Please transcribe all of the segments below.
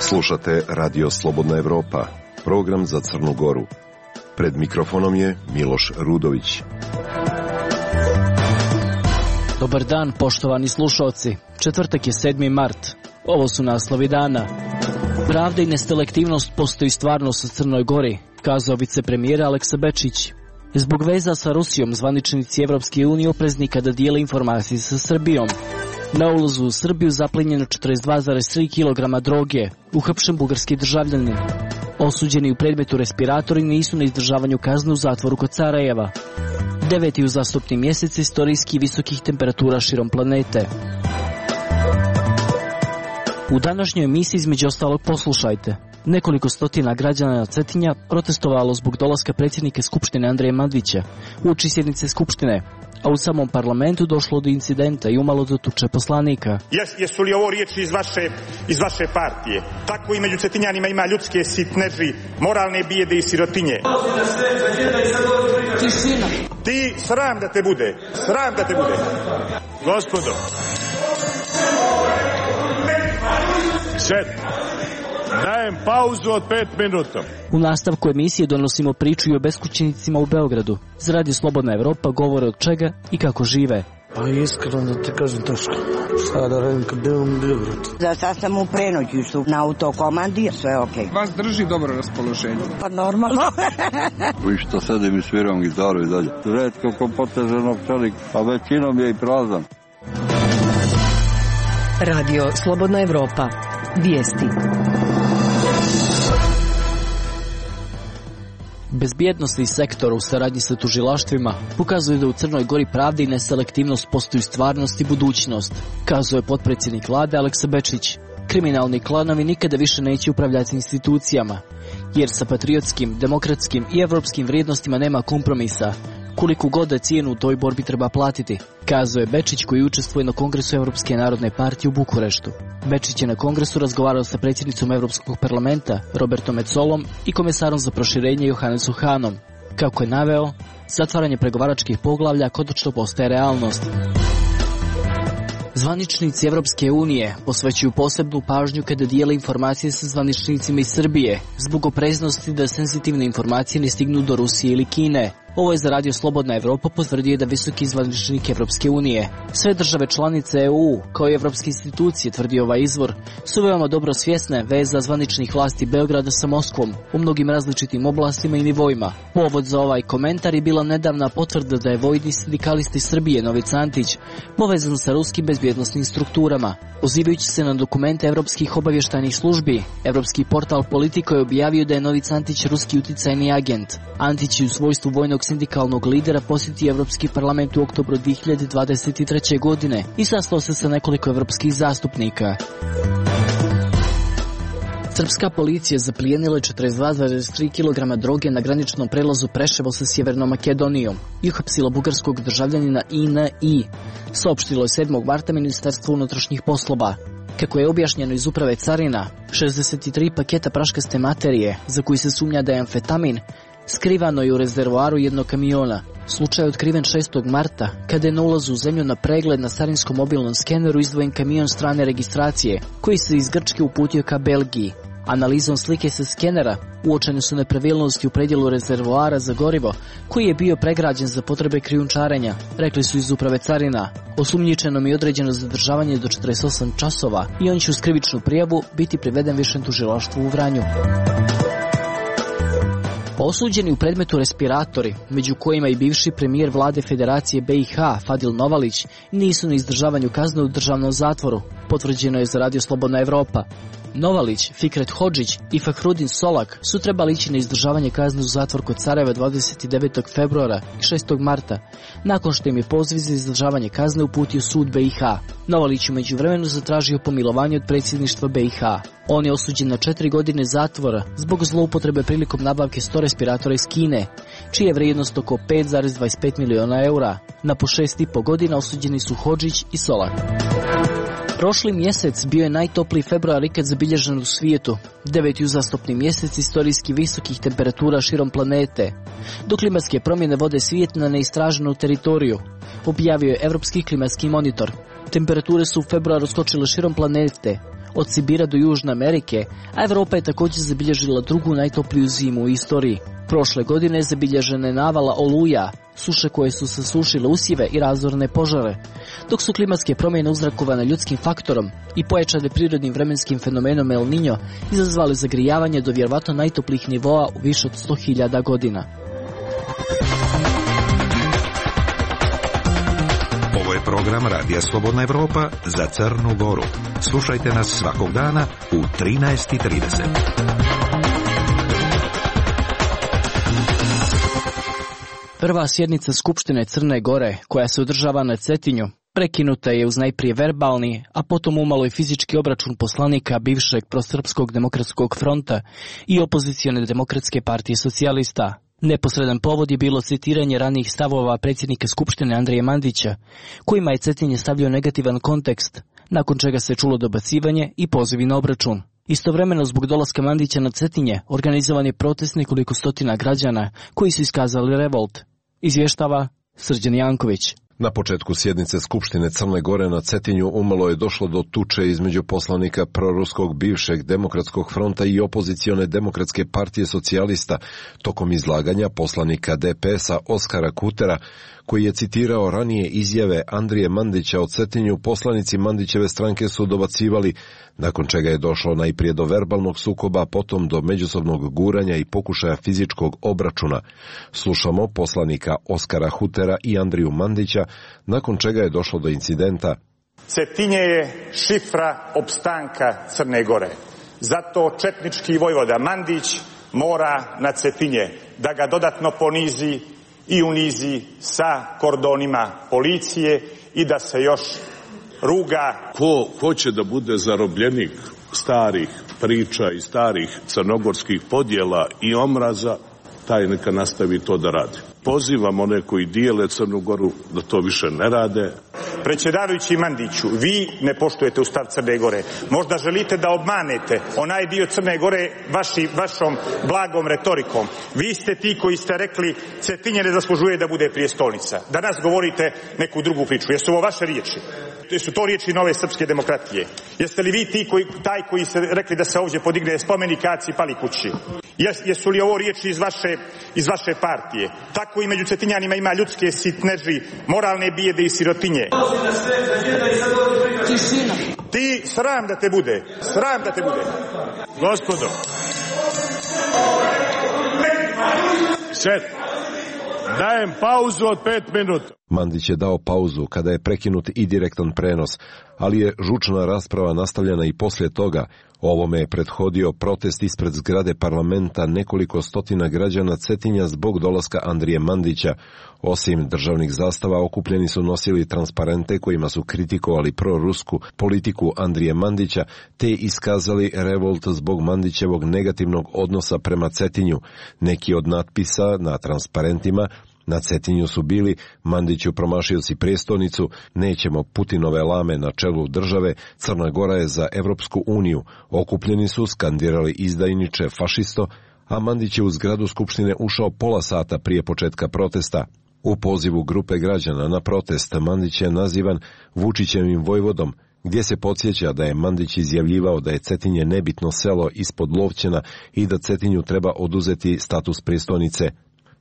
Slušate Radio Slobodna Evropa, program za Crnu Goru. Pred mikrofonom je Miloš Rudović. Dobar dan, poštovani slušalci. Četvrtak je 7. mart. Ovo su naslovi dana. Pravda i neselektivnost postoji stvarnost u Crnoj Gori, kazao vicepremijera Aleksa Bečić. Zbog veza sa Rusijom, zvaničnici Evropske unije oprezni kada dijele informacije sa Srbijom. Na ulazu u Srbiju zaplenjeno 42,3 kg droge, uhapšen bugarski državljanin. Osuđeni u predmetu respiratori nisu na izdržavanju kazne u zatvoru kod Sarajeva. 9. uzastopni mjesec istorijski visokih temperatura širom planete. U današnjoj emisiji između ostalog poslušajte. Nekoliko stotina građana Cetinja protestovalo zbog dolaska predsjednika Skupštine Andreja Mandića uoči sjednice Skupštine, a u samom parlamentu došlo do incidenta i umalo do tuče poslanika. Jesu li ovo riječi iz vaše partije? Tako i među Cetinjanima ima ljudske sitneži, moralne bijede i sirotinje. Tišina. Ti, sram da te bude, sram da te bude. Gospodo. Sed. Dajem pauzu od 5 minuta. U nastavku emisije donosimo priču i o beskućnicima u Beogradu. Za Radio Slobodna Evropa govore od čega i kako žive. Pa iskreno da ti kažem teško. Šta da radim kad idem u Beograd? Za sad sam u Prenoćištu na autokomandi, sve okej. Vas drži dobro raspoloženje? Pa normalno. Vi što sedim i sviram gitaru i dalje. Redko ko poteženog čelika, a većinom je i prazan. Radio Slobodna Evropa. Vijesti. Bezbjednosni sektor u saradnji sa tužilaštvima pokazuje da u Crnoj Gori pravda i neselektivnost postaju stvarnost i budućnost, kazuje potpredsjednik vlade Aleksa Bečić. Kriminalni klanovi nikada više neće upravljati institucijama, jer sa patriotskim, demokratskim i evropskim vrijednostima nema kompromisa, koliko god da cijenu u toj borbi treba platiti, kazuje Bečić koji učestvuje na Kongresu Evropske narodne partije u Bukureštu. Bečić je na Kongresu razgovarao sa predsjednicom Evropskog parlamenta Robertom Metsolom i komesarom za proširenje Johannesom Hanom. Kako je naveo, zatvaranje pregovaračkih poglavlja konačno postaje realnost. Zvaničnici Evropske unije posvećuju posebnu pažnju kada dijele informacije sa zvaničnicima iz Srbije, zbog opreznosti da senzitivne informacije ne stignu do Rusije ili Kine. Ovo je za Radio Slobodna Evropa potvrdio da visoki zvaničnik Evropske unije. Sve države članice EU, kao i evropske institucije, tvrdi ovaj izvor, su veoma dobro svjesne veza zvaničnih vlasti Beograda sa Moskvom u mnogim različitim oblastima i nivoima. Povod za ovaj komentar je bila nedavna potvrda da je vojni sindikalist iz Srbije Nović Antić povezan sa ruskim bezbjednosnim strukturama. Pozivajući se na dokumente evropskih obavještajnih službi, evropski portal Politico je objavio da je Nović Antić ruski uticajni agent. Antić je u svojstvu vojnog sindikalnog lidera posjetio Evropski parlament u oktobru 2023. godine i sastao se sa nekoliko evropskih zastupnika. Srpska policija zaplijenila 42,3 kg droge na graničnom prelazu Preševo sa Sjevernom Makedonijom i uhapsila bugarskog državljanina INI, saopštilo je 7. marta Ministarstvo unutrašnjih poslova. Kako je objašnjeno iz uprave carina, 63 paketa praškaste materije, za koji se sumnja da je amfetamin, skrivano je u rezervoaru jednog kamiona. Slučaj je otkriven 6. marta, kada je na ulazu u zemlju na pregled na carinskom mobilnom skeneru izdvojen kamion strane registracije, koji se iz Grčke uputio ka Belgiji. Analizom slike sa skenera uočene su nepravilnosti u predjelu rezervoara za gorivo, koji je bio pregrađen za potrebe krijumčarenja, rekli su iz uprave carina. Osumnjičenom je određeno zadržavanje do 48 časova i on će uz krivičnu prijavu biti priveden višem tužilaštvu u Vranju. Osuđeni u predmetu respiratori, među kojima i bivši premijer vlade Federacije BiH Fadil Novalić, nisu na izdržavanju kazne u državnom zatvoru, potvrđeno je za Radio Slobodna Evropa. Novalić, Fikret Hodžić i Fahrudin Solak su trebali ići na izdržavanje kazne u zatvor kod Sarajeva 29. februara i 6. marta, nakon što im je poziv za izdržavanje kazne uputio sud BiH. Novalić u međuvremenu zatražio pomilovanje od predsjedništva BiH. On je osuđen na 4 godine zatvora zbog zloupotrebe prilikom nabavke 100 respiratora iz Kine, čija je vrijednost oko 5,25 miliona eura. Na po 6,5 godina osuđeni su Hodžić i Solak. Prošli mjesec bio je najtopliji februar ikad zabilježen u svijetu, 9. uzastopni mjesec istorijski visokih temperatura širom planete, dok klimatske promjene vode svijet na neistraženu teritoriju, objavio je Europski klimatski monitor. Temperature su u februaru skočile širom planete, od Sibira do Južne Amerike, a Europa je također zabilježila drugu najtopliju zimu u istoriji. Prošle godine zabilježena je navala oluja, suše koje su sasušile usjeve i razorne požare, dok su klimatske promjene uzrokovane ljudskim faktorom i pojačane prirodnim vremenskim fenomenom El Niño izazvali zagrijavanje do vjerovatno najtoplijih nivoa u više od 100.000 godina. Ovo je program Radija Slobodna Evropa za Crnu Goru. Slušajte nas svakog dana u 13:30. Prva sjednica Skupštine Crne Gore, koja se održava na Cetinju, prekinuta je uz najprije verbalni, a potom umalo i fizički obračun poslanika bivšeg prosrpskog demokratskog fronta i opozicione demokratske partije socijalista. Neposredan povod je bilo citiranje ranijih stavova predsjednika Skupštine Andrije Mandića, kojima je Cetinje stavljao negativan kontekst, nakon čega se čulo dobacivanje i pozivi na obračun. Istovremeno, zbog dolaska Mandića na Cetinje, organizovan je protest nekoliko stotina građana koji su iskazali revolt. Izvještava Srđan Janković. Na početku sjednice Skupštine Crne Gore na Cetinju umalo je došlo do tuče između poslanika proruskog bivšeg demokratskog fronta i opozicione demokratske partije socijalista tokom izlaganja poslanika DPS-a Oskara Kutera, koji je citirao ranije izjave Andrije Mandića o Cetinju. Poslanici Mandićeve stranke su dobacivali, nakon čega je došlo najprije do verbalnog sukoba, potom do međusobnog guranja i pokušaja fizičkog obračuna. Slušamo poslanika Oskara Kutera i Andriju Mandića, nakon čega je došlo do incidenta. Cetinje je šifra opstanka Crne Gore. Zato četnički vojvoda Mandić mora na Cetinje da ga dodatno ponizi i unizi sa kordonima policije i da se još ruga. Ko hoće da bude zarobljenik starih priča i starih crnogorskih podjela i omraza, taj neka nastavi to da radi. Pozivam one koji dijele Crnu Goru da to više ne rade. Predsjedavajući Mandiću, vi ne poštujete Ustav Crne Gore. Možda želite da obmanete onaj dio Crne Gore vašom blagom retorikom. Vi ste ti koji ste rekli Cetinje ne zaslužuje da bude prijestolnica. Danas govorite neku drugu priču. Jesu ovo vaše riječi? Jesu to riječi Nove srpske demokratije? Jeste li vi taj koji ste rekli da se ovdje podigne spomenik Aci Palikući? Jesu li ovo riječi iz vaše partije? Tako i među Cetinjanima ima ljudske sitneži, moralne bijede i sirotinje. Ti, sram da te bude, sram da te bude. Gospodo, dajem pauzu od 5 minuta. Mandić je dao pauzu kada je prekinut i direktan prenos, ali je žučna rasprava nastavljena i poslije toga. Ovome je prethodio protest ispred zgrade parlamenta nekoliko stotina građana Cetinja zbog dolaska Andrije Mandića. Osim državnih zastava, okupljeni su nosili transparente kojima su kritikovali prorusku politiku Andrije Mandića, te iskazali revolt zbog Mandićevog negativnog odnosa prema Cetinju. Neki od natpisa na transparentima na Cetinju su bili: Mandiću, promašio si prijestolnicu, nećemo Putinove lame na čelu države, Crna Gora je za Evropsku uniju. Okupljeni su skandirali izdajniče, fašisto, a Mandić je u zgradu Skupštine ušao pola sata prije početka protesta. U pozivu grupe građana na protest Mandić je nazivan Vučićevim vojvodom, gdje se podsjeća da je Mandić izjavljivao da je Cetinje nebitno selo ispod Lovćena i da Cetinju treba oduzeti status prijestolnice.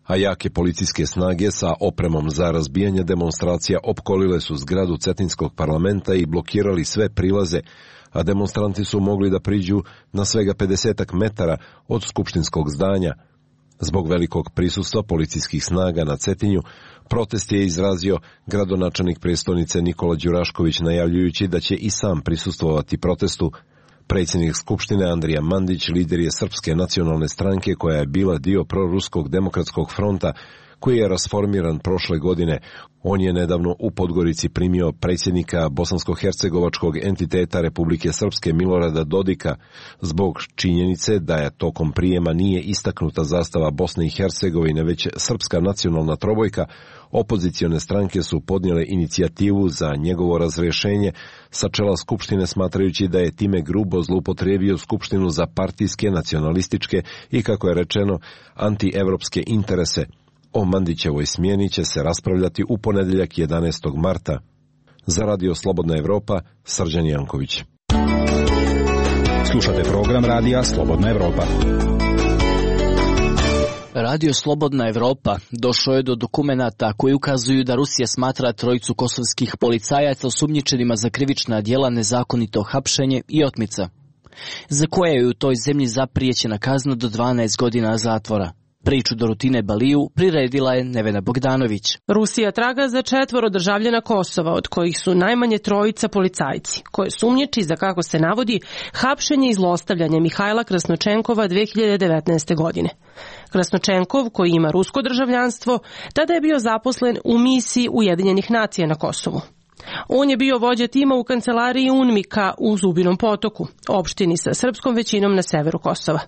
A jake policijske snage sa opremom za razbijanje demonstracija opkolile su zgradu Cetinskog parlamenta i blokirali sve prilaze, a demonstranti su mogli da priđu na svega 50 metara od skupštinskog zdanja. Zbog velikog prisustva policijskih snaga na Cetinju, protest je izrazio gradonačelnik prijestolnice Nikola Đurašković, najavljujući da će i sam prisustvovati protestu. Predsjednik Skupštine Andrija Mandić lider je Srpske nacionalne stranke koja je bila dio proruskog demokratskog fronta, koji je rasformiran prošle godine. On je nedavno u Podgorici primio predsjednika bosansko-hercegovačkog entiteta Republike Srpske Milorada Dodika zbog činjenice da je tokom prijema nije istaknuta zastava Bosne i Hercegovine, već srpska nacionalna trobojka. Opozicione stranke su podnijele inicijativu za njegovo razrješenje sa čela Skupštine, smatrajući da je time grubo zloupotrijebio Skupštinu za partijske, nacionalističke i, kako je rečeno, antievropske interese. O Mandićevoj smjeni će se raspravljati u ponedjeljak 11. marta. Za Radio Slobodna Evropa, Srđan Janković. Slušate program Radija Slobodna Evropa. Radio Slobodna Evropa došao je do dokumenata koji ukazuju da Rusija smatra trojicu kosovskih policajaca osumnjičenima za krivična djela nezakonito hapšenje i otmica, za koje je u toj zemlji zaprijećena kazna do 12 godina zatvora. Priču do Rutine Baliju priredila je Nevena Bogdanović. Rusija traga za 4 državljana Kosova, od kojih su najmanje 3 policajci, koje sumnjiči za, kako se navodi, hapšenje i zlostavljanje Mihajla Krasnočenkova 2019. godine. Krasnočenkov, koji ima rusko državljanstvo, tada je bio zaposlen u misiji Ujedinjenih nacija na Kosovu. On je bio vođa tima u kancelariji UNMIK-a u Zubinom Potoku, opštini sa srpskom većinom na severu Kosova.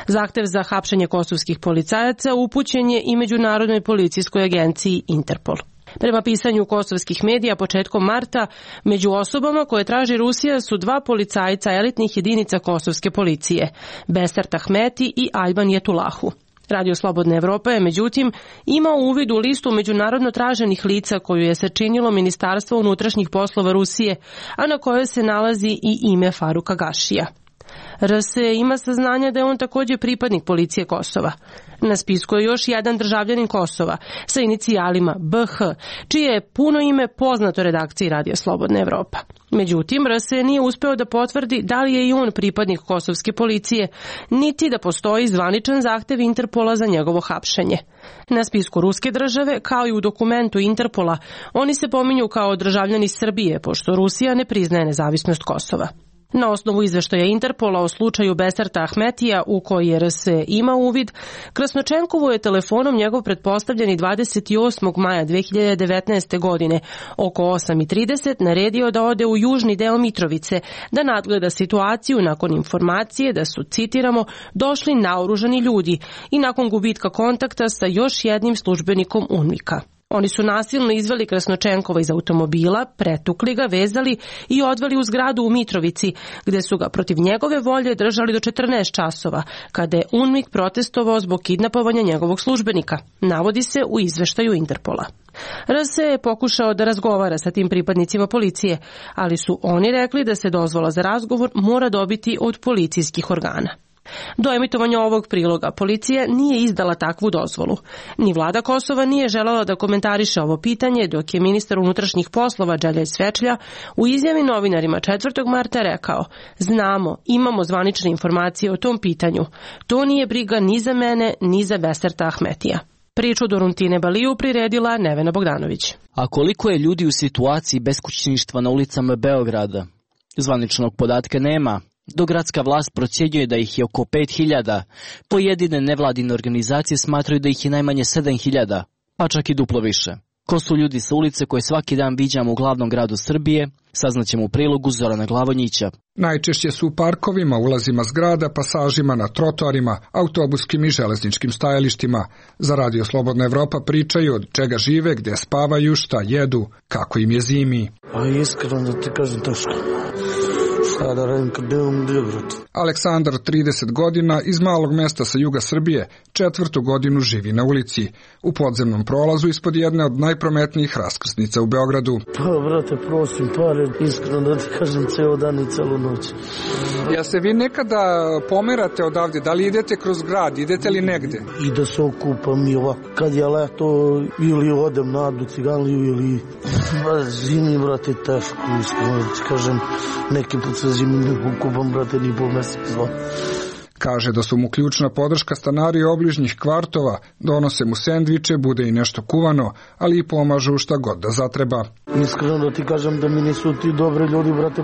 Zahtev za hapšenje kosovskih policajaca upućen je i Međunarodnoj policijskoj agenciji Interpol. Prema pisanju kosovskih medija početkom marta, među osobama koje traži Rusija su 2 policajca elitnih jedinica kosovske policije, Besart Ahmeti i Alban Jetulahu. Radio Slobodna Evropa je, međutim, imao uvid u listu međunarodno traženih lica koju je sačinilo Ministarstvo unutrašnjih poslova Rusije, a na kojoj se nalazi i ime Faruka Gašija. RS ima saznanja da je on također pripadnik policije Kosova. Na spisku je još jedan državljanin Kosova sa inicijalima BH, čije je puno ime poznato redakciji Radio Slobodna Evropa. Međutim, RS nije uspeo da potvrdi da li je i on pripadnik kosovske policije, niti da postoji zvaničan zahtev Interpola za njegovo hapšenje. Na spisku ruske države, kao i u dokumentu Interpola, oni se pominju kao državljani Srbije, pošto Rusija ne priznaje nezavisnost Kosova. Na osnovu izveštaja Interpola o slučaju Besarta Ahmetija, u koji je RS ima uvid, Krasnočenkovu je telefonom njegov pretpostavljeni 28. maja 2019. godine oko 8:30 naredio da ode u južni deo Mitrovice da nadgleda situaciju nakon informacije da su, citiramo, došli naoružani ljudi i nakon gubitka kontakta sa još jednim službenikom UNMIK-a. Oni su nasilno izveli Krasnočenkova iz automobila, pretukli ga, vezali i odveli u zgradu u Mitrovici, gde su ga protiv njegove volje držali do 14 časova, kada je UNMIK protestovao zbog kidnapovanja njegovog službenika, navodi se u izveštaju Interpola. RS je pokušao da razgovara sa tim pripadnicima policije, ali su oni rekli da se dozvola za razgovor mora dobiti od policijskih organa. Do emitovanja ovog priloga policija nije izdala takvu dozvolu. Ni vlada Kosova nije želela da komentariše ovo pitanje, dok je ministar unutrašnjih poslova Đelja Svečlja u izjavi novinarima 4. marta rekao: znamo, imamo zvanične informacije o tom pitanju. To nije briga ni za mene, ni za Besarta Ahmetija. Priču do Rutine Baliju priredila Nevena Bogdanović. A koliko je ljudi u situaciji beskućništva na ulicama Beograda? Zvaničnog podatka nema. Dok gradska vlast procjenjuje da ih je oko 5.000, pojedine nevladine organizacije smatraju da ih je najmanje 7.000, pa čak i duplo više. Ko su ljudi sa ulice koje svaki dan viđamo u glavnom gradu Srbije, saznaćemo u prilogu Zorana Glavonjića. Najčešće su u parkovima, ulazima zgrada, pasažima na trotoarima, autobuskim i železničkim stajalištima. Za Radio Slobodna Evropa pričaju od čega žive, gde spavaju, šta jedu, kako im je zimi. A iskreno da ti kažem teško. Šta da radim kad idem u Beograd? Aleksandar, 30 godina, iz malog mesta sa juga Srbije, 4. godinu živi na ulici, u podzemnom prolazu ispod jedne od najprometnijih raskrsnica u Beogradu. Pa, brate, prosim pare, iskreno da ti kažem, ceo dan i celu noć. Ja se vi nekada pomerate odavde, da li idete kroz grad, idete li negde? I da se okupam i ovako, kad je leto, ili odem na Adu Ciganliju, ili zimi, brate, teško, iskreno da ti kažem, neki put se zimi ne okupam, brate, ni po mesec, dva. Kaže da su mu ključna podrška stanari obližnjih kvartova, donose mu sendviče, bude i nešto kuvano, ali i pomažu šta god da zatreba. Iskreno da ti kažem da mi nisu ti dobri ljudi, brate,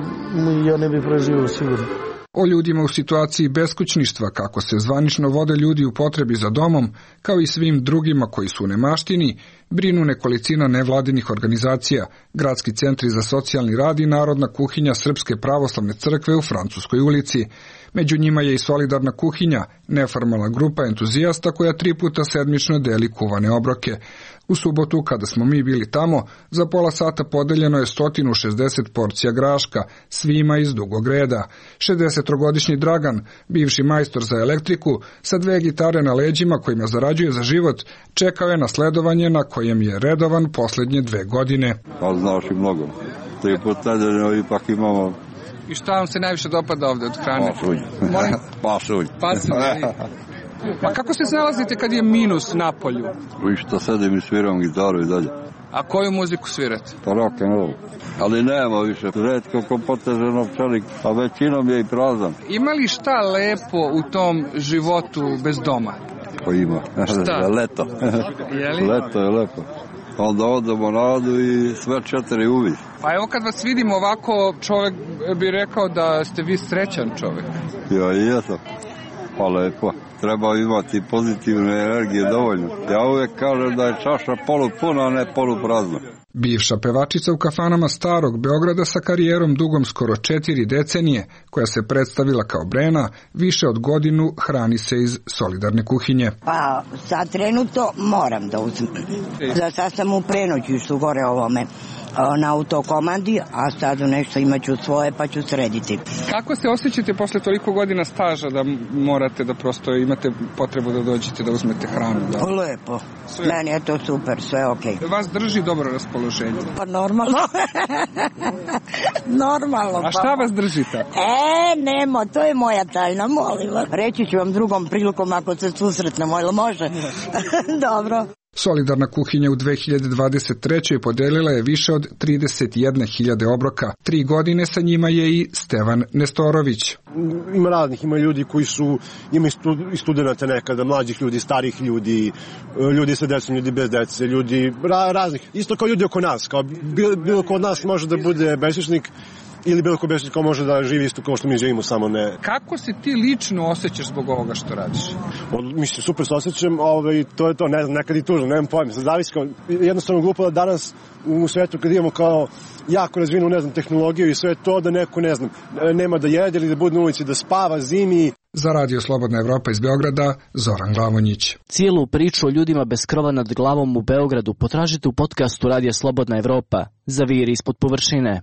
ja ne bi preživio sigurno. O ljudima u situaciji beskućništva, kako se zvanično vode ljudi u potrebi za domom, kao i svim drugima koji su u nemaštini, brinu nekolicina nevladinih organizacija, gradski centri za socijalni rad i narodna kuhinja Srpske pravoslavne crkve u Francuskoj ulici. Među njima je i solidarna kuhinja, neformalna grupa entuzijasta koja 3 puta sedmično deli kuvane obroke. U subotu, kada smo mi bili tamo, za pola sata podeljeno je 160 porcija graška, svima iz dugog reda. 60-godišnji Dragan, bivši majstor za elektriku, sa 2 gitare na leđima kojima zarađuje za život, čekao je na sledovanje na kojem je redovan poslednje 2 godine. Pa znaš i mnogo. 3 puta nedeljno ipak imamo. I šta vam se najviše dopada ovde od hrane? Pasulj. Ma kako se snalazite kad je minus na polju? Vi što sedim i sviram gitaru i dalje. A koju muziku svirate? Pa rock and roll. Ali nema više. Retko ko poteže novčanik, a većinom je i prazan. Ima li šta lepo u tom životu bez doma? Pa ima. Šta? Leto. Leto je lepo. Onda odemo na radu i sve 4 uvi. Pa evo kad vas vidim ovako, čovjek bi rekao da ste vi srećan čovjek. Ja i jesam. Pa lepo. Treba imati pozitivne energije dovoljno. Ja uvijek kažem da je čaša polupuna, a ne poluprazna. Bivša pevačica u kafanama starog Beograda sa karijerom dugom skoro 4 decenije, koja se predstavila kao Brena, više od godinu hrani se iz solidarne kuhinje. Pa sad trenutno moram da uzmem. Sad sam u prenoćištu gore ovome na autokomandi, a sad nešto imaću svoje pa ću srediti. Kako se osjećate posle toliko godina staža da morate da prosto imate potrebu da dođete da uzmete hranu? Da? Lepo. Sve. Meni je to super, sve okej. Vas drži dobro raspoloženje? Pa normalno. Normalno. A šta vas drži tako? Nemo, to je moja tajna, molim vas. Reći ću vam drugom prilikom ako se susretnemo, ili može? Dobro. Solidarna kuhinja u 2023. podelila je više od 31.000 obroka. 3 godine sa njima je i Stevan Nestorović. Ima raznih, ima ljudi koji su, ima i studenta nekada, mlađih ljudi, starih ljudi, ljudi sa decom, ljudi bez dece, ljudi raznih. Isto kao ljudi oko nas, kao bilo ko od nas može da bude beskućnik, ili bilo ko beskućnik ko može da živi isto kao što mi živimo, samo ne. Kako se ti lično osjećaš zbog ovoga što radiš? Mislim, super se osjećam, to je to, ne znam, nekad i tužno, nemam pojma. Sad zavisi kao, jednostavno glupo da danas u svetu kad imamo kao jako razvinu, ne znam, tehnologiju i sve to, da neko, ne znam, nema da jede ili da bude na ulici, da spava zimi. Za Radio Slobodna Evropa iz Beograda, Zoran Glavonjić. Cijelu priču o ljudima bez krova nad glavom u Beogradu potražite u podcastu Radio Slobodna Evropa. Zaviri ispod površine.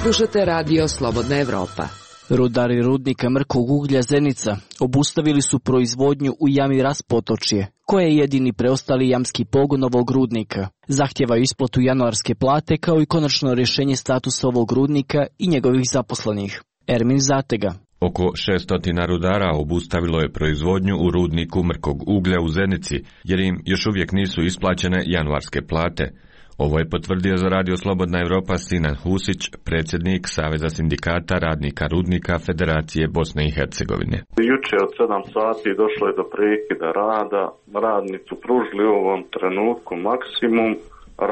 Slušate Radio Slobodna Evropa. Rudari rudnika mrkog uglja Zenica obustavili su proizvodnju u jami Raspotočje, koje je jedini preostali jamski pogon ovog rudnika. Zahtjevaju isplatu januarske plate kao i konačno rješenje statusa ovog rudnika i njegovih zaposlenih. Ermin Zatega. Oko 600 rudara obustavilo je proizvodnju u rudniku mrkog uglja u Zenici, jer im još uvijek nisu isplaćene januarske plate. Ovo je potvrdio za Radio Slobodna Evropa Sinan Husić, predsjednik Saveza sindikata radnika rudnika Federacije Bosne i Hercegovine. Juče od 7 sati došlo je do prekida rada. Radnici pružili u ovom trenutku maksimum,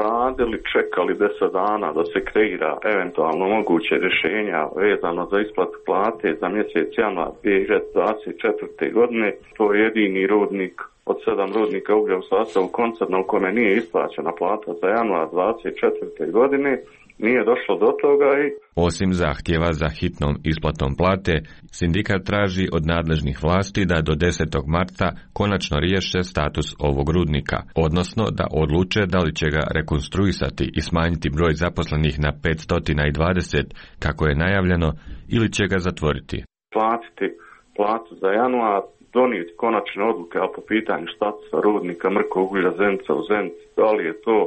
radili, čekali 10 dana da se kreira eventualno moguće rješenja vezano za isplatu plate za mjesec januar 2024. godine. To je jedini rudnik od 7 rudnika uglja u sastavu koncerna u kome nije isplaćena plata za januar 2024. godine, nije došlo do toga i... Osim zahtjeva za hitnom isplatom plate, sindikat traži od nadležnih vlasti da do 10. marta konačno riješe status ovog rudnika, odnosno da odluče da li će ga rekonstruisati i smanjiti broj zaposlenih na 520, kako je najavljeno, ili će ga zatvoriti. Platiti platu za januar, donijeti konačne odluke po pitanju statusa rudnika mrkog uglja Zenica u Zenici, da li je to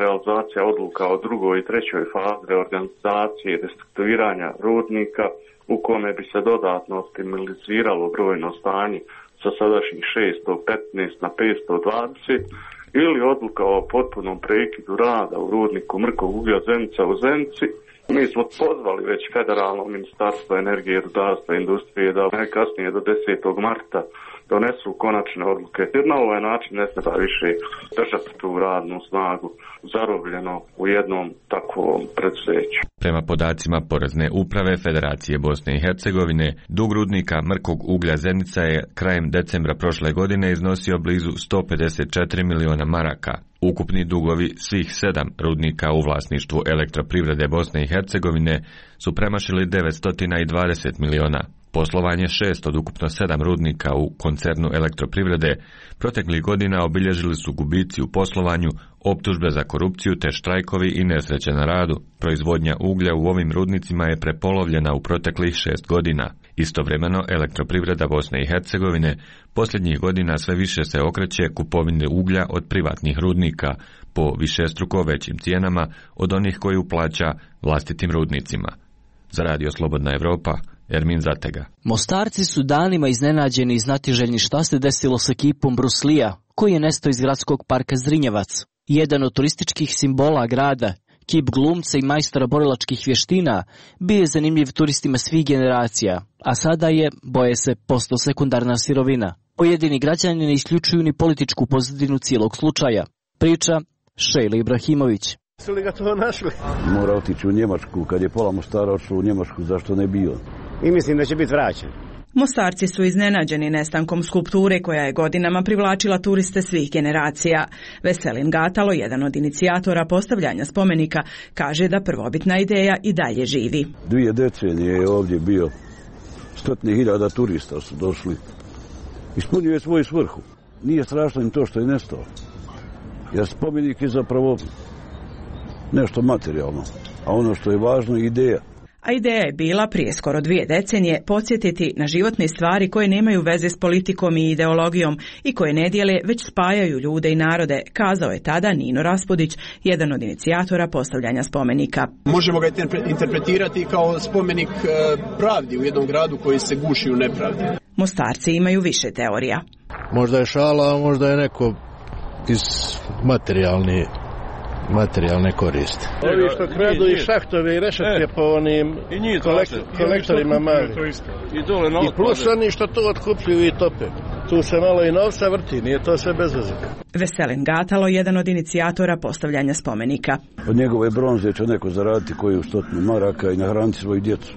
realizacija odluka o drugoj i trećoj fazi reorganizacije i restrukturiranja rudnika u kome bi se dodatno optimaliziralo brojno stanje sa sadašnjih 615 na 520 ili odluka o potpunom prekidu rada u rudniku mrkog uglja Zenica u Zenici. Mi smo pozvali već federalno ministarstvo energije, rudarstva i industrije da najkasnije do 10. marta donesu konačne odluke. Jer na ovaj način ne treba više držati tu radnu snagu zarobljeno u jednom takvom preduzeću. Prema podacima Porezne uprave Federacije Bosne i Hercegovine, dug rudnika mrkog uglja Zenica je krajem decembra prošle godine iznosio blizu 154 miliona maraka. Ukupni dugovi svih 7 rudnika u vlasništvu Elektroprivrede Bosne i Hercegovine su premašili 920 miliona. Poslovanje 6 od ukupno 7 rudnika u koncernu Elektroprivrede proteklih godina obilježili su gubici u poslovanju, optužbe za korupciju te štrajkovi i nesreće na radu. Proizvodnja uglja u ovim rudnicima je prepolovljena u proteklih 6 godina. Istovremeno, Elektroprivreda Bosne i Hercegovine posljednjih godina sve više se okreće kupovini uglja od privatnih rudnika po višestruko većim cijenama od onih koju plaća vlastitim rudnicima. Za Radio Slobodna Evropa, Ermin Zatega. Mostarci su danima iznenađeni i znatiželjni šta se desilo sa kipom Bruce Lee-a, koji je nestao iz gradskog parka Zrinjevac. Jedan od turističkih simbola grada, kip glumca i majstora borilačkih vještina, bio je zanimljiv turistima svih generacija, a sada je, boje se, postao sekundarna sirovina. Pojedini građani ne isključuju ni političku pozadinu cijelog slučaja. Priča Šejla Ibrahimović. Su li ga to našli? Mora otići u Njemačku, kad je pola Mostara otišlo u Njemačku, zašto ne bio? I mislim da će biti vraćen. Mostarci su iznenađeni nestankom skulpture koja je godinama privlačila turiste svih generacija. Veselin Gatalo, jedan od inicijatora postavljanja spomenika, kaže da prvobitna ideja i dalje živi. 2 decenije je ovdje bio, 100.000 turista su došli. Ispunio je svoju svrhu. Nije strašno im to što je nestao. Jer spomenik je zapravo nešto materijalno, a ono što je važno je ideja. A ideja je bila prije skoro 2 decenije podsjetiti na životne stvari koje nemaju veze s politikom i ideologijom i koje ne dijele već spajaju ljude i narode, kazao je tada Nino Raspudić, jedan od inicijatora postavljanja spomenika. Možemo ga interpretirati kao spomenik pravdi u jednom gradu koji se guši u nepravdi. Mostarci imaju više teorija. Možda je šala, a možda je neko iz materijalne koriste. Ovi što kradu i šahtove i rešetke po onim kolektorima mali. I plus oni što to otkupljuju i tope. Tu se malo i novca vrti, nije to sve bez veze. Veselin Gatalo, jedan od inicijatora postavljanja spomenika. Od njegove bronze će neko zaraditi koju 100 maraka i nahraniti svoju djecu.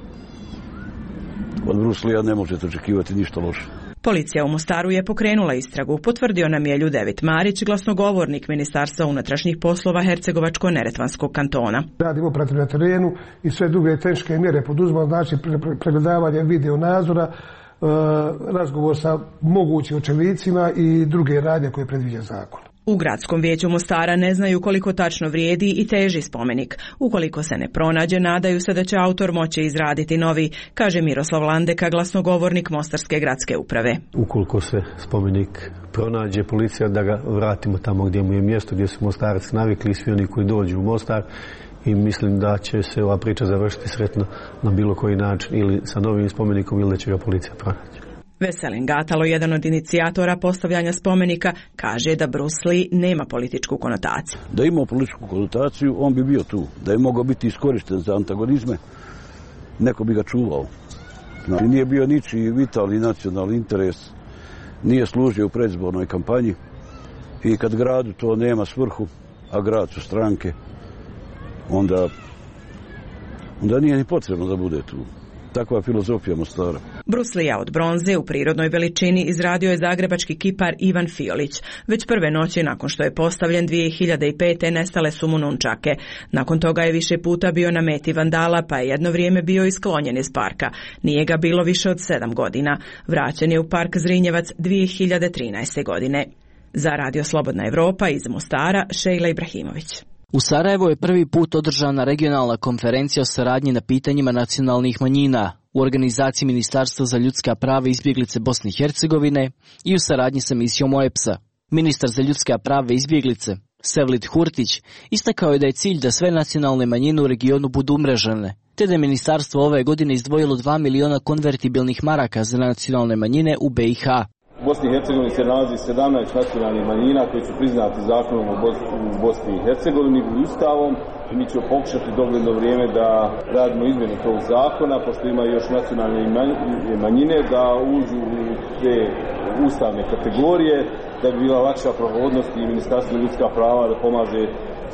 Od Bruce Lee-a ne možete očekivati ništa loše. Policija u Mostaru je pokrenula istragu, potvrdio nam je Ljudevit Marić, glasnogovornik Ministarstva unutrašnjih poslova Hercegovačko-neretvanskog kantona. Radimo operativno na terenu i sve druge tehničke mjere poduzimamo, znači pregledavanje video nadzora, razgovor sa mogućim očevicima i druge radnje koje predviđa zakon. U gradskom vijeću Mostara ne znaju koliko tačno vrijedi i teži spomenik. Ukoliko se ne pronađe, nadaju se da će autor moći izraditi novi, kaže Miroslav Landeka, glasnogovornik Mostarske gradske uprave. Ukoliko se spomenik pronađe, policija da ga vratimo tamo gdje mu je mjesto, gdje su Mostarci navikli, svi oni koji dođu u Mostar, i mislim da će se ova priča završiti sretno na bilo koji način, ili sa novim spomenikom ili da će ga policija pronaći. Veselin Gatalo, jedan od inicijatora postavljanja spomenika, kaže da Bruce Lee nema političku konotaciju. Da ima političku konotaciju, on bi bio tu. Da je mogao biti iskorišten za antagonizme, neko bi ga čuvao. Znači, nije bio ničiji vitalni nacionalni interes, nije služio u predizbornoj kampanji i kad gradu to nema svrhu, a grad su stranke, onda nije ni potrebno da bude tu. Takva je filozofija Mostara. Bruce Lee od bronze u prirodnoj veličini izradio je zagrebački kipar Ivan Fiolić. Već prve noći nakon što je postavljen 2005. nestale su mu nunčake. Nakon toga je više puta bio na meti vandala, pa je jedno vrijeme bio isklonjen iz parka. Nije ga bilo više od 7 godina. Vraćen je u park Zrinjevac 2013. godine. Za Radio Slobodna Evropa iz Mostara, Šejla Ibrahimović. U Sarajevu je prvi put održana regionalna konferencija o saradnji na pitanjima nacionalnih manjina u organizaciji Ministarstva za ljudska prava i izbjeglice Bosne i Hercegovine i u saradnji sa misijom OEBS-a. Ministar za ljudska prava i izbjeglice, Sevlit Hurtić, istakao je da je cilj da sve nacionalne manjine u regionu budu umrežene, te da je ministarstvo ove godine izdvojilo 2 miliona konvertibilnih maraka za nacionalne manjine u BiH. U Bosni i Hercegovini se nalazi 17 nacionalnih manjina koji su priznati zakonom u Bosni i Hercegovini i Ustavom. I mi ćemo pokušati dogledno vrijeme da radimo izmjenu tog zakona, pošto ima još nacionalne manjine, da uđu u te ustavne kategorije, da bi bila lakša prohodnost i Ministarstvo ljudska prava da pomaže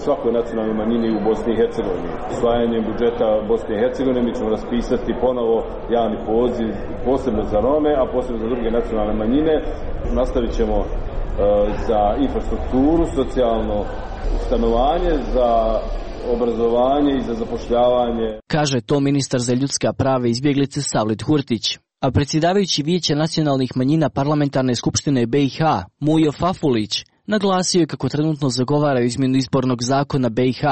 svakoj nacionalnoj manjini u Bosni i Hercegovini. Usvajanjem budžeta Bosne i Hercegovine mi ćemo raspisati ponovo javni poziv posebno za Rome, a posebno za druge nacionalne manjine. Nastavit ćemo za infrastrukturu, socijalno stanovanje, za obrazovanje i za zapošljavanje. Kaže to ministar za ljudska prava i izbjeglice Savlit Hurtić. A predsjedavajući Vijeća nacionalnih manjina Parlamentarne skupštine BiH, Mujo Fafulić, naglasio je kako trenutno zagovaraju izmjenu izbornog zakona BiH,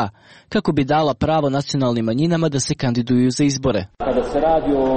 kako bi dala pravo nacionalnim manjinama da se kandiduju za izbore. Kada se radi o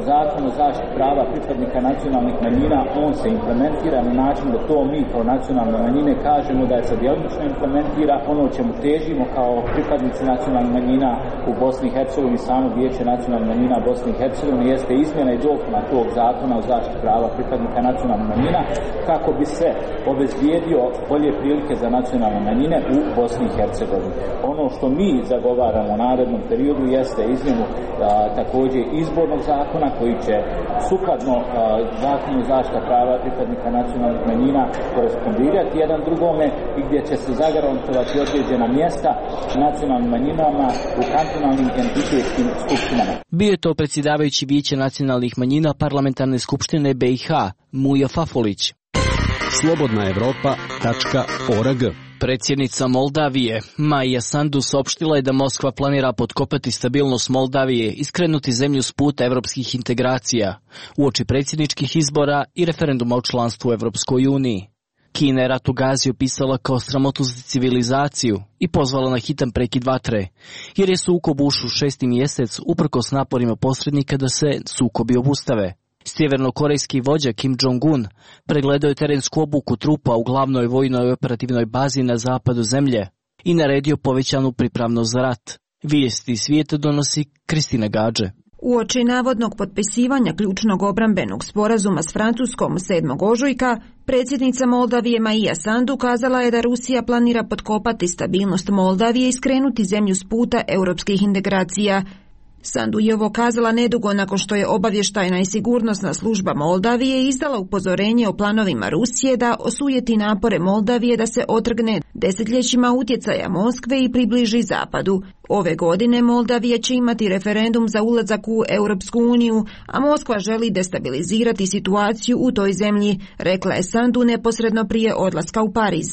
zakonu o zaštiti prava pripadnika nacionalnih manjina, on se implementira na način da to mi kao nacionalne manjine kažemo da je sad djelomično implementira. Ono o čemu težimo kao pripadnici nacionalnih manjina u Bosni i Hercegovini, samo Vijeće nacionalnih manjina Bosni i Hercegovini, jeste izmjena i dopuna tog zakona o zaštiti prava pripadnika nacionalnih manjina, kako bi se obezbijedio bolje prilike za nacionalne manjine u Bosni i Hercegovini. Ono što mi zagovaramo u narednom periodu jeste izmjenu također izbornog zakona koji će sukladno zakonu zaštita prava pripadnika nacionalnih manjina korespondirati jedan drugome i gdje će se zagarantovati određena mjesta nacionalnim manjinama u kantonalnim entitetskim skupštinama. Bio je to predsjedavajući Vijeća nacionalnih manjina Parlamentarne skupštine BiH, Mujo Fafulić. slobodnaevropa.org. Predsjednica Moldavije, Maja Sandu, saopštila je da Moskva planira potkopati stabilnost Moldavije i skrenuti zemlju s puta evropskih integracija, uoči predsjedničkih izbora i referenduma o članstvu u Evropskoj uniji. Kina je rat u Gazi opisala kao sramotu za civilizaciju i pozvala na hitan prekid vatre, jer je sukob ušao u 6. mjesec uprkos naporima posrednika da se sukobi obustave. Sjevernokorejski vođa Kim Jong-un pregledao je terensku obuku trupa u glavnoj vojnoj operativnoj bazi na zapadu zemlje i naredio povećanu pripravnost za rat. Vijesti svijeta donosi Kristina Gađe. Uoči navodnog potpisivanja ključnog obrambenog sporazuma s Francuskom 7. ožujka, predsjednica Moldavije Maja Sandu kazala je da Rusija planira potkopati stabilnost Moldavije i skrenuti zemlju s puta europskih integracija. Sandu je ovo kazala nedugo nakon što je obavještajna i sigurnosna služba Moldavije izdala upozorenje o planovima Rusije da osujeti napore Moldavije da se otrgne desetljećima utjecaja Moskve i približi zapadu. Ove godine Moldavija će imati referendum za ulazak u Europsku uniju, a Moskva želi destabilizirati situaciju u toj zemlji, rekla je Sandu neposredno prije odlaska u Pariz.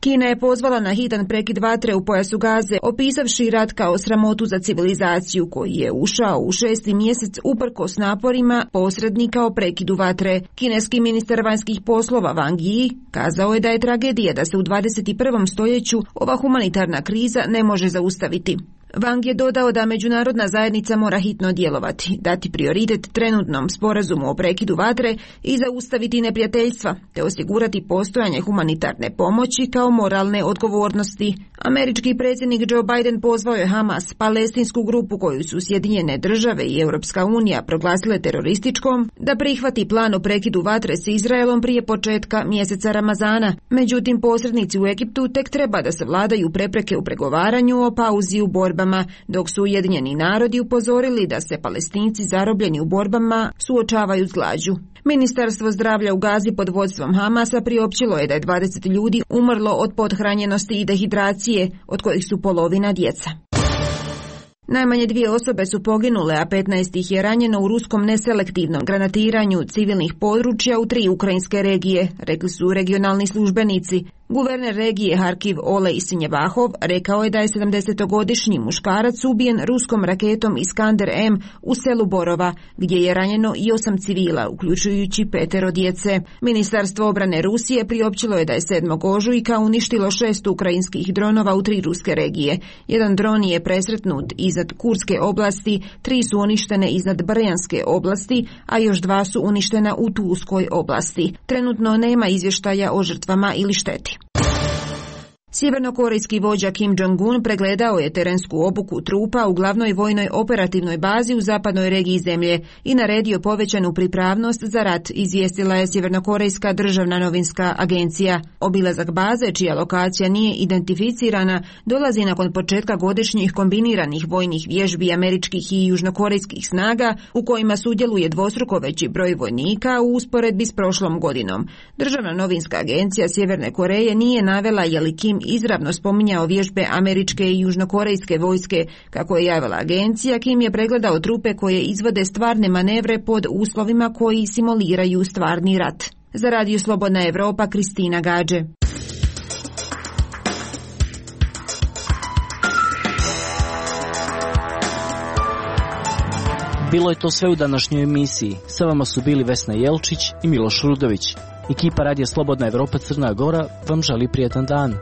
Kina je pozvala na hitan prekid vatre u pojasu Gaze, opisavši rat kao sramotu za civilizaciju koji je ušao u 6. mjesec uprkos naporima posrednika o prekidu vatre. Kineski ministar vanjskih poslova Wang Yi kazao je da je tragedija da se u 21. stoljeću ova humanitarna kriza ne može zaustaviti. Wang je dodao da međunarodna zajednica mora hitno djelovati, dati prioritet trenutnom sporazumu o prekidu vatre i zaustaviti neprijateljstva, te osigurati postojanje humanitarne pomoći kao moralne odgovornosti. Američki predsjednik Joe Biden pozvao je Hamas, palestinsku grupu koju su Sjedinjene države i Europska unija proglasile terorističkom, da prihvati plan o prekidu vatre s Izraelom prije početka mjeseca Ramazana. Međutim, posrednici u Egiptu tek treba da savladaju prepreke u pregovaranju o pauzi u borbama, dok su Ujedinjeni narodi upozorili da se Palestinci zarobljeni u borbama suočavaju s glađu. Ministarstvo zdravlja u Gazi pod vodstvom Hamasa priopćilo je da je 20 ljudi umrlo od pothranjenosti i dehidracije, od kojih su polovina djeca. Najmanje 2 osobe su poginule, a 15 ih je ranjeno u ruskom neselektivnom granatiranju civilnih područja u 3 ukrajinske regije, rekli su regionalni službenici. Guverner regije Harkiv Olej Sinjevahov rekao je da je 70-godišnji muškarac ubijen ruskom raketom Iskander M u selu Borova, gdje je ranjeno i 8 civila, uključujući 5 djece. Ministarstvo obrane Rusije priopćilo je da je 7. ožujka uništilo 6 ukrajinskih dronova u 3 ruske regije. Jedan dron je presretnut iznad Kurske oblasti, 3 su uništene iznad Brjanske oblasti, a još 2 su uništena u Tulskoj oblasti. Trenutno nema izvještaja o žrtvama ili šteti. Sjevernokorejski vođa Kim Jong-un pregledao je terensku obuku trupa u glavnoj vojnoj operativnoj bazi u zapadnoj regiji zemlje i naredio povećanu pripravnost za rat, izvijestila je Sjevernokorejska državna novinska agencija. Obilazak baze, čija lokacija nije identificirana, dolazi nakon početka godišnjih kombiniranih vojnih vježbi američkih i južnokorejskih snaga u kojima sudjeluje dvostruko veći broj vojnika u usporedbi s prošlom godinom. Državna novinska agencija Sjeverne Koreje nije navela je li Kim izravno spominjao vježbe američke i južnokorejske vojske. Kako je javila agencija, Kim je pregledao trupe koje izvode stvarne manevre pod uslovima koji simuliraju stvarni rat. Za Radio Slobodna Evropa, Kristina Gađe. Bilo je to sve u današnjoj emisiji. Sa vama su bili Vesna Jelčić i Miloš Rudović. Ekipa Radija Slobodna Evropa Crna Gora vam želi prijetan dan.